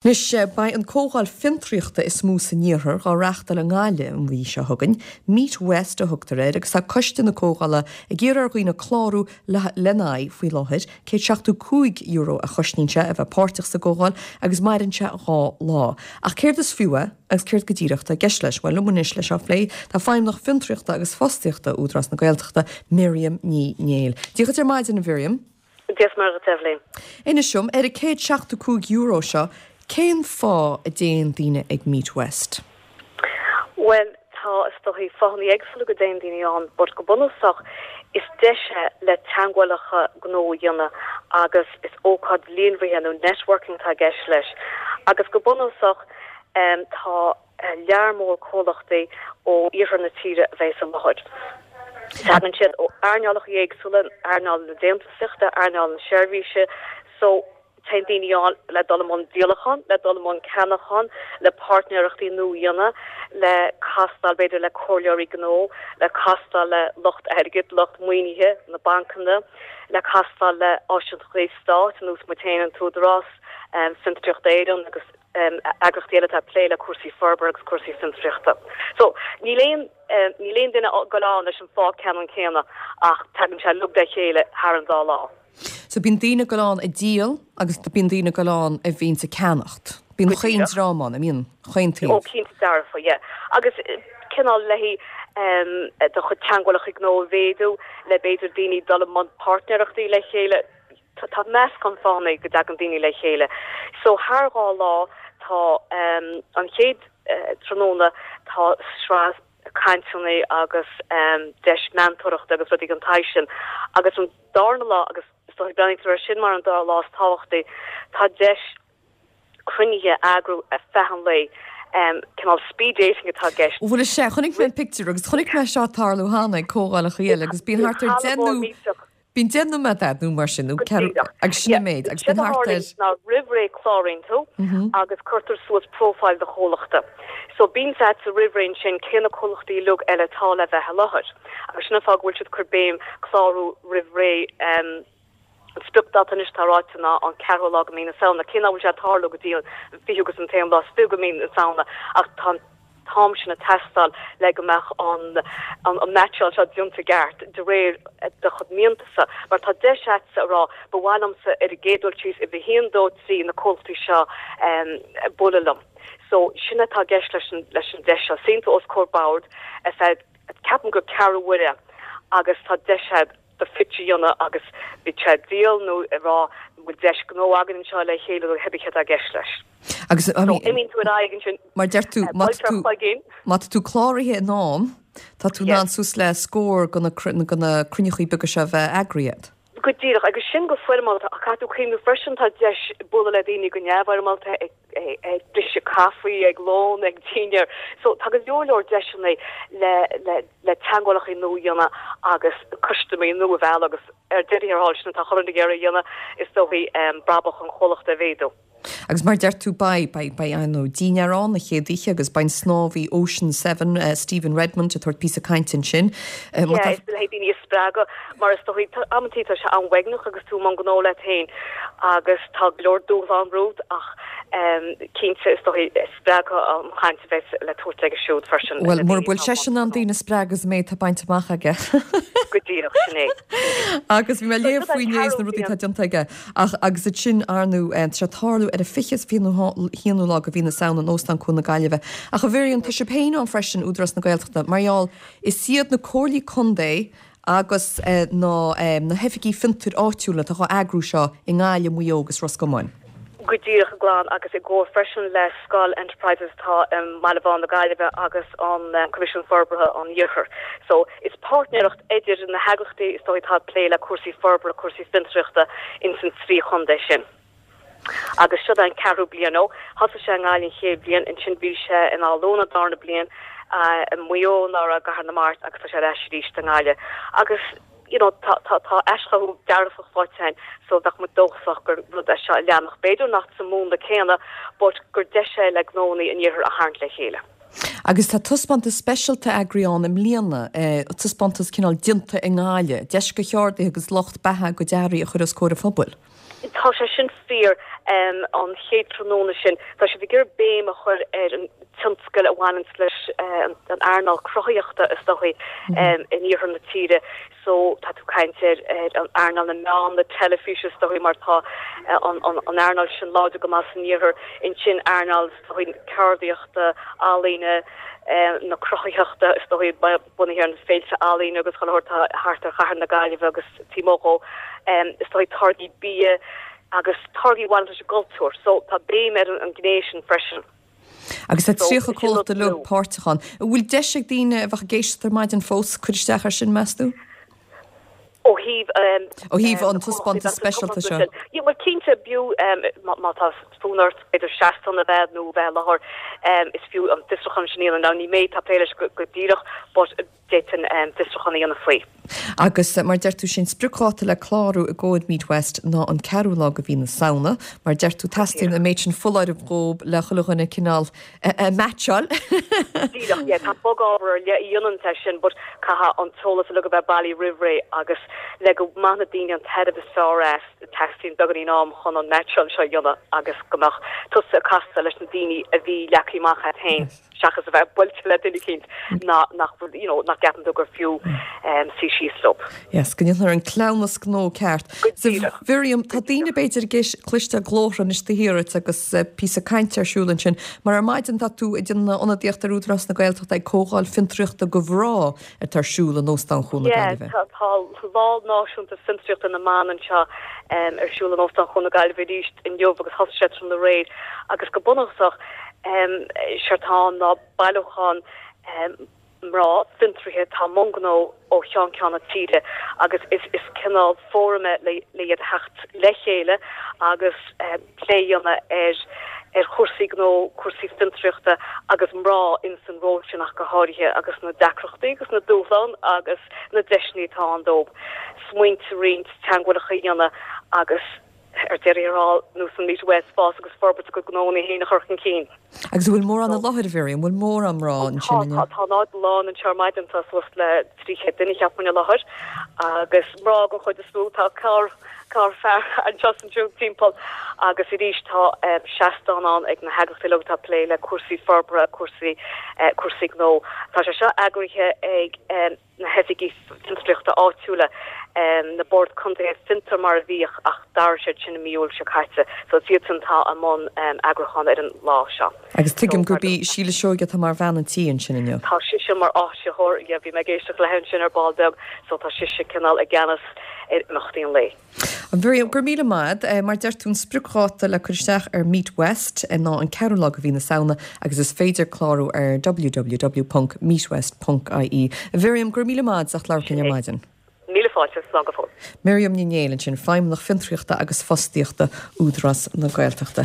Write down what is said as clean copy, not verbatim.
Anois, beidh an comhdháil fiontraíochta is mó san iarthar dhá reáchtáil i nGaillimh an mhí seo chugainn. Meet West a thugtar air agus tá coiste na comhdhála ag iarraidh ar dhaoine clárú lena aghaidh faoi láthair. €175 a chosnaíonn sé a bheith páirteach sa gcomhdháil agus maireann sé 2 lá. Ach céard is fiú é agus céard go díreach atá i gceist leis? Bhuel, liom anois le seo a phlé tá Feidhmeannach Fiontraíochta agus Fostaíochta Údarás na Gaeltachta, Miriam Ní Néill. Dia dhuit ar maidin, a Mhiriam. Dia is Muire dhuit, a Eibhlín. Inis dom, ar an €175 seo, cén fáth a dtéann daoine ag Meet West? Bhuel, tá, is dóichí, fáthanna éagsúla go dtéann daoine ann, but go bunúsach, is deis é le teagmhálacha gnó a dhéanamh agus is ócáid líonraithe nó networking atá i gceist leis. Agus go bunúsach, tá. lear mór comhlachtaí ó iarthar na tíre a bheas i láthair. Tagann siad ó earnálacha éagsúla, earnáil na déantúsaíochta, earnáil na seirbhíse, so téann daoine ann le dul i mbun díolachán, le dul i mbun ceannachán, le páirtnéireachtaí nua a dhéanamh, le castáil b'fhéidir le comhairleoirí gnó, le castáil le lucht airgid, lucht maoinithe, na bancanna, le castáil le áisitheoirí stáit, ar nós muid féin, an tÚdarás, Fiontraíocht Éireann agus. eagraíochtaí eile atá ag plé le cúrsaí forbartha agus cúrsaí fiontraíochta. So, níl aon, níl aon duine ag dul ann leis an fáth ceannann céanna ach tagann sé uilig le chéile thar an dá lá. So, bíonn daoine ag dul ann ag díol agus bíonn daoine ag dul ann a bhíonns ag ceannacht. Bíonn chaon dream ann, an mbíonn? Chaon taobh. Ó, cinnte dearfa, yeah. Agus cineál le do chuid teagmhálacha gnó a mhéadú, le b'fhéidir daoine dul i mbun páirtnéireachtaí le chéile, Tá meascán fáthanna go dtagann daoine le chéile. So thar 2 lá tá an chéad tráthnóna tá sraith cainteanna agus deis meantóireachta agus rudaí den tsaghas sin agus an darna lá agus is dóigh breathnaítear air sin mar an dá lá is tábhachtaí tá deis cruinnithe a eagrú ar feadh an lae. Cineál speed dating atá i gceist. Bhuel is ea, chonaic mé an pictiúr agus chonaic mé seo ag tarlú cheana ag comhdhálacha eile agus bíonn thart ar 10 nó Bíonn 10 nóiméad agat nó mar sin, nó ceathrú, agus sin an méid, agus bíonn thart ar. Ná roimh ré cláraíonn tú agus cuirtear suas profile do chomhlachta. So bíonn a fhios agat roimh ré ansin cé na comhlachtaí uilig eile atá le bheith i láthair. Agus sin an fáth go bhfuil siad ag cur béim clárú roimh ré. An spriocdáta anois atá ráite ná an ceathrú lá de mhí na Samhna, cé nach bhfuil sé ag tarlú go dtí an fichiú agus an t-aon lá is fiche de mhí na Samhna ach tá an t-am sin ag teastáil le go mbeadh an an meaitseáil seo déanta i gceart de réir do chuid miantasa mar tá deis agatsa a rá ba mhaith liomsa ar an gcéad dul síos uimhir a haon, dó, trí na comhlachtaí seo bualadh liom. So sin atá i gceist leis an leis an deis seo. Suíonn tú os comhair bord ar feadh ceapaim gur ceathrú uaire agus tá deis agat do phitch a dhéanamh agus bíodh sé ag díol nó ag rá an bhfuil deis gnó againn anseo le chéile nó cibé céard atá i gceist leis. Agus So imíonn tú ar aghaidh ansin. Mar deir tú, má tá tú, má tá tú cláraithe in am, tá tú in ann suas le scór de na cruinneachaí beaga seo a bheith eagraithe agat. Go díreach, agus sin go foirmeálta, ach caithfidh tú cuimhneamh freisin tá deis bualadh le daoine go neamhfhoirmeálta ag ag briseadh caife, ag lón, ag dinnéar. So tá go leor leor deiseanna le le le teagmhálacha nua a dhéanamh agus custaiméirí nua a mhealladh agus ar deireadh thiar thall sin atá chuile dhuine ag iarraidh a dhéanamh is dóichí brabach an chomhlachta a mhéadú. Agus mar a deir tú, beidh, beidh, beidh, ar ndóigh, dinnéar ann an chéad oíche agus beidh an snámhaí Ocean Seven, Stephen Redmond, ag tabhairt píosa cainte ansin. Má tá. Yeah, is le daoine a spreagadh mar is dóichí, amantaí tá sé an-uaigneach agus tú i mbun gnó leat féin agus tá go leor dúshlán romhat ach cinnte is dóichí spreagfaidh an chaint a bheas le tabhairt aige siúd freisin. Bhuel, mura bhfuil seisean in ann daoine a spreagadh is an méid atá bainte amach aige. Go díreach, sin é. Agus bhí mé ag léamh faoi inné is na rudaí atá déanta aige. Ach, agus ansin, ar ndóigh, tá sé ag tarlú ar an 20 is 21ú lá de mhí na Samhna in Óstán Cuan na Gaillimhe. Ach a Mhiriam, tá sibh féin ann freisin, Údarás na Gaeltachta, mar gheall, is iad na comhairlí contae agus na na hoifigí fiontair áitiúla atá á eagrú seo i nGaillimh, Maigh Eo agus Ros Comáin. Go díreach, a Ghlan, agus i gcomhar freisin le Scoil Enterprises atá i mBaile Bháin na Gaillimhe agus an Coimisiún Forbartha an Iarthair. So, is páirtnéireacht idir na heagraíochtaí is dóigh atá ag plé le cúrsaí forbartha, cúrsaí fiontraíochta ins an trí chontae sin. Agus seo é an ceathrú bliain ó thosaigh sé i nGaillimh an chéad bhliain, ansin bhí sé in Áth Luain an darna bliain, i Maigh Eo anuraidh, i gCathair na Mart agus tá sé ar ais arís i nGaillimh. Agus you know tá tá tá aischothú dearfach faighte againn so bheadh muid dóchasach gur rud é seo a leanfadh, b'fhéidir nach sa múnla céanna but gur deis é le gnónnaí an iarthair a tharraingt le chéile. Agus tá taispeántas speisialta eagraithe ann i mbliana, taispeántas cineál déanta i nGaillimh, deis do cheardaithe agus lucht beatha a gcuid earraí a chur os comhair an phobail. Tá sé sin fíor. An chéad tráthnóna sin, tá siad ag iarraidh béim a chur ar an tionscal a bhaineanns leis an earnáil cruthaitheachta is dóichí in iarthar na tíre. So tá tú ag caint ar an earnáil na meán, na teilifíse is dóichí mar tá an earnáil sin láidir go maith san iarthar. Ansin earnáil is dóichí ceardaíochta, ealaíne, na cruthaitheachta is dóichí bunaithe ar na féilte ealaíne agus chuile shórt atá thart ar chathair na Gaillimhe agus taobh amuigh dhó. Is dóichí táirgí bia agus táirgí a bhaineann leis an gcultúr. So tá béim ar an gné sin freisin. Agus tá 30 comhlacht uilig páirteach ann. An bhfuil deis ag daoine a bheadh ag éisteacht ar maidin fós cur isteach air sin, meas tú? Ó thaobh. Ó thaobh an taispeántas speisialta seo. Yeah, bhuel cinnte, b'fhiú má tá fonn ort b'fhéidir seastán a bheith nó bheith i láthair, is fiú an fiosrúchán sin a dhéanamh. Now ní mé atá ag plé leis go díreach but d'fhéadfainn fiosrúchán a dhéanamh faoi. Agus mar deir tú, sé an spriocdháta le clárú i gcomhair Meet West ná an ceathrú lá de mhí na Samhna. Mar deir tú, teastaíonn an méid sin foláirimh dhóib le chuile dhuine cineál a meaitseáil. Díreach, yeah, tá bogábhar ar leith a dhéanann é sin but caithfidh an t-eolas uilig a bheith bailí roimh ré agus le go mbainfidh na daoine an tairbhe is fearr as, teastaíonn beagáinín am chun an meaitseáil seo a dhéanamh agus go mbeadh tusa ag casadh leis na daoine a bhí leagtha amach agat féin. seachas a bheith buailte le duine eicínt nach bhfuil, you know, nach gceapann tú gur fiú suí síos leo. Yes, go ndéanfar an cleamhnas gnó ceart. Go díreach. Mhiriam, tá daoine b'fhéidir ag cloisteáil glórtha anois taobh thiar duit agus píosa cainte ar siúl ansin, mar ar maidin tá tú ag déanamh ionadaíocht ar Údarás na Gaeltachta ag Comhdháil Fiontraíochta do Mhná atá ar siúl in Óstán Chuan na Gaillimhe. Yeah, tá Lá Náisiúnta Fiontraíochta na mBan anseo ar siúl in Óstán Chuan na Gaillimhe arís inniu agus thosaigh sé tráthnóna aréir agus go bunúsach Séard atá ann ná bailiúchán mná fiontraithe atá i mbun gnó ó cheann ceann na tíre agus is cineál fóram é le iad a theacht le chéile agus plé a dhéanamh ar ar chúrsaí gnó, cúrsaí fiontraíochta agus mná ins an ról sin ach go háirithe agus na deacrachtaí agus na dúshláin agus na deiseanna atá ann dóibh smaointe a roinnt, teagmhálacha a dhéanamh agus ar deireadh thiar thall, nós an Meet West, fás agus forbairt a gcuid gnónna féin a chur chun cinn. Agus an bhfuil mórán i láthair, a Mhiriam? An bhfuil mórán mná ansin inniu? Tá, tá an áit lán anseo ar maidin, tá suas le 300 duine cheapfainn i láthair agus mná den chuid is mó, tá corr, corr fear anseo is ansiúd timpeall agus arís tá seastán ann ag na heagraíochtaí uilig atá ag plé le cúrsaí forbartha, cúrsaí, cúrsaí gnó. Tá sé seo eagraithe ag. na hoifigí fiontraíochta áitiúla, na Boird Contae Fiontar mar a bhíodh ach d'athraigh siad sin i mí Iúil seo caite. So is iadsan atá i mbun eagrúcháin ar an lá seo. Agus tuigim gurb í Síle Seoige atá mar bhean an tí ansin inniu. Tá sise mar áisitheoir, yeah, bhí mé ag éisteacht léi ansin ar ball beag, so tá sise cineál i gceannas ar imeachtaí an lae. A Mhiriam, go raibh míle maith agat. Mar deir tú, an spriocdháta le cur isteach ar Meet West ná an ceathrú lá de mhí na Samhna agus is féidir clárú ar www.meetwest.ie. A Mhiriam, go raibh míle maith agat as ucht labhairt linn ar maidin. Míle fáilte, slán go fóill. Miriam Ní Néill ansin, Feidhmeannach Fiontraíochta agus Fostaíochta, Údarás na Gaeltachta.